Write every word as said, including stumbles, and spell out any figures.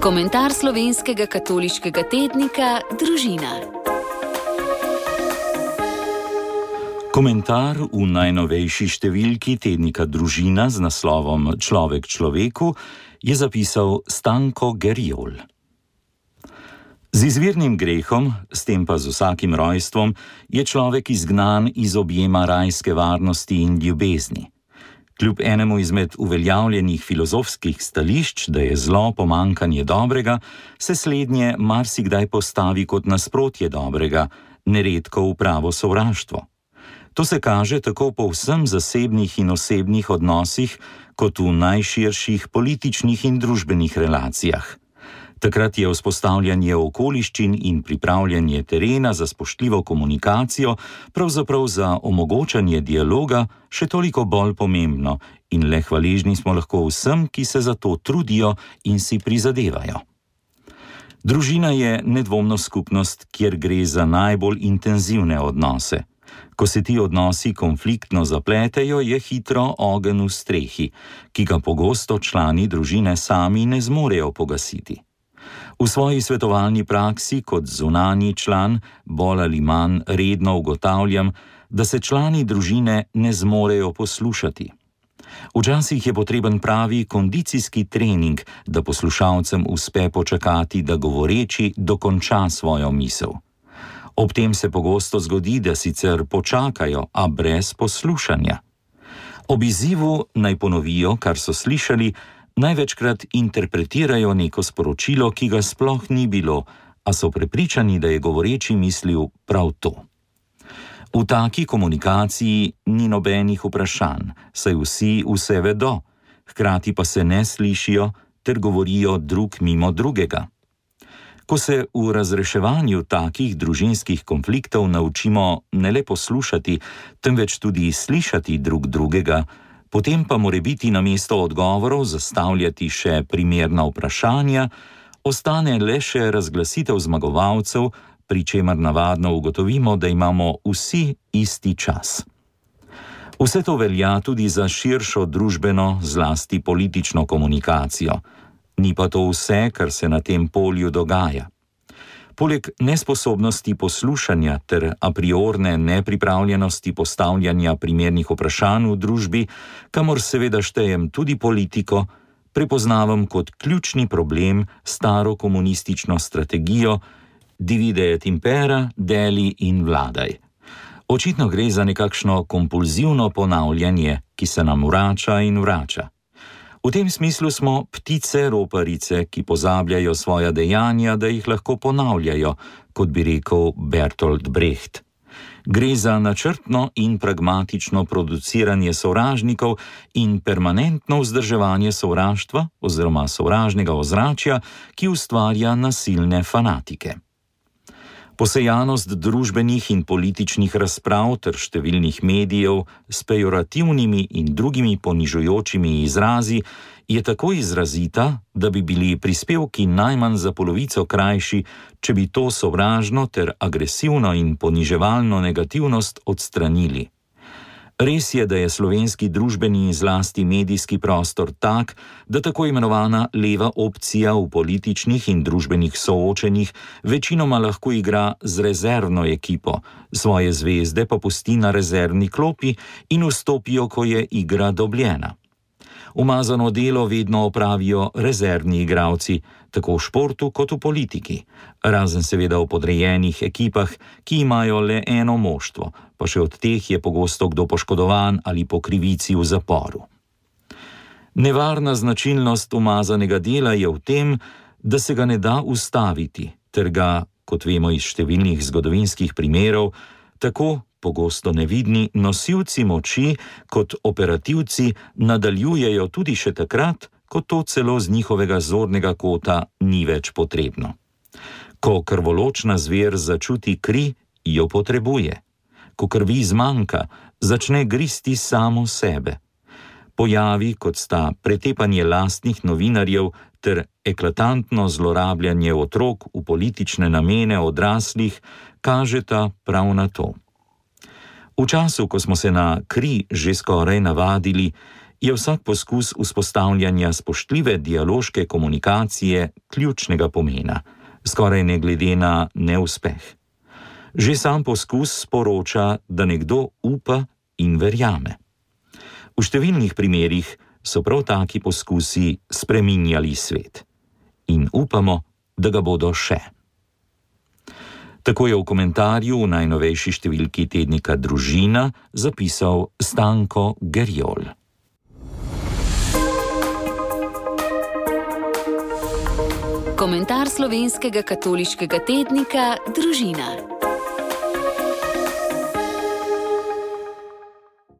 Komentar slovenskega katoliškega tednika Družina. Komentar v najnovejši številki tednika Družina z naslovom Človek človeku je zapisal Stanko Gerjol. Z izvirnim grehom, s tem pa z vsakim rojstvom, je človek izgnan iz objema rajske varnosti in ljubezni. Kljub enemu izmed uveljavljenih filozofskih stališč, da je zlo pomanjkanje dobrega, se slednje marsikdaj postavi kot nasprotje dobrega, neredko v pravo sovraštvo. To se kaže tako po vsem zasebnih in osebnih odnosih, kot v najširših političnih in družbenih relacijah. Takrat je vzpostavljanje okoliščin in pripravljanje terena za spoštljivo komunikacijo, pravzaprav za omogočanje dialoga, še toliko bolj pomembno in le hvaležni smo lahko vsem, ki se za to trudijo in si prizadevajo. Družina je nedvomno skupnost, kjer gre za najbolj intenzivne odnose. Ko se ti odnosi konfliktno zapletejo, je hitro ogenj v strehi, ki ga pogosto člani družine sami ne zmorejo pogasiti. V svoji svetovalni praksi kot zunanji član bolj ali manj redno ugotavljam, da se člani družine ne zmorejo poslušati. Včasih je potreben pravi kondicijski trening, da poslušalcem uspe počakati, da govoreči dokonča svojo misel. Ob tem se pogosto zgodi, da sicer počakajo, a brez poslušanja. Ob izzivu naj ponovijo, kar so slišali, največkrat interpretirajo neko sporočilo, ki ga sploh ni bilo, a so prepričani, da je govoreči mislil prav to. V taki komunikaciji ni nobenih vprašanj, saj vsi vse vedo, hkrati pa se ne slišijo ter govorijo drug mimo drugega. Ko se v razreševanju takih družinskih konfliktov naučimo ne le poslušati, temveč tudi slišati drug drugega, potem pa morebiti namesto odgovorov zastavljati še primerna vprašanja, ostane le še razglasitev zmagovalcev, pri čemer navadno ugotovimo, da imamo vsi isti čas. Vse to velja tudi za širšo družbeno, zlasti politično komunikacijo. Ni pa to vse, kar se na tem polju dogaja. Poleg nesposobnosti poslušanja ter a priorne nepripravljenosti postavljanja primernih vprašanj v družbi, kamor seveda štejem tudi politiko, prepoznavam kot ključni problem staro komunistično strategijo divide et impera, deli in vladaj. Očitno gre za nekakšno kompulzivno ponavljanje, ki se nam vrača in vrača. V tem smislu smo ptice roparice, ki pozabljajo svoja dejanja, da jih lahko ponavljajo, kot bi rekel Bertolt Brecht. Gre za načrtno in pragmatično produciranje sovražnikov in permanentno vzdrževanje sovraštva oziroma sovražnega ozračja, ki ustvarja nasilne fanatike. Posejanost družbenih in političnih razprav ter številnih medijev s pejorativnimi in drugimi ponižujočimi izrazi je tako izrazita, da bi bili prispevki najmanj za polovico krajši, če bi to sovražno ter agresivno in poniževalno negativnost odstranili. Res je, da je slovenski družbeni in zlasti medijski prostor tak, da tako imenovana leva opcija v političnih in družbenih soočenjih večinoma lahko igra z rezervno ekipo, svoje zvezde pa pusti na rezervni klopi in vstopijo, ko je igra dobljena. Umazano delo vedno opravijo rezervni igralci, tako v športu kot v politiki, razen seveda v podrejenih ekipah, ki imajo le eno moštvo, pa še od teh je pogosto kdo poškodovan ali po krivici v zaporu. Nevarna značilnost umazanega dela je v tem, da se ga ne da ustaviti, ter ga, kot vemo iz številnih zgodovinskih primerov, tako pogosto nevidni nosilci moči kot operativci nadaljujejo tudi še takrat, ko to celo z njihovega zornega kota ni več potrebno. Ko krvoločna zver začuti kri, jo potrebuje. Ko krvi zmanjka, začne gristi samo sebe. Pojavi, kot sta pretepanje lastnih novinarjev ter eklatantno zlorabljanje otrok v politične namene odraslih, kažeta prav na to. V času, ko smo se na kri že skoraj navadili, je vsak poskus vzpostavljanja spoštljive dialoške komunikacije ključnega pomena, skoraj ne glede na neuspeh. Že sam poskus sporoča, da nekdo upa in verjame. V številnih primerih so prav taki poskusi spreminjali svet. In upamo, da ga bodo še. Tako je v komentarju v najnovejši številki tednika Družina zapisal Stanko Gerjol. Komentar slovenskega katoliškega tednika Družina.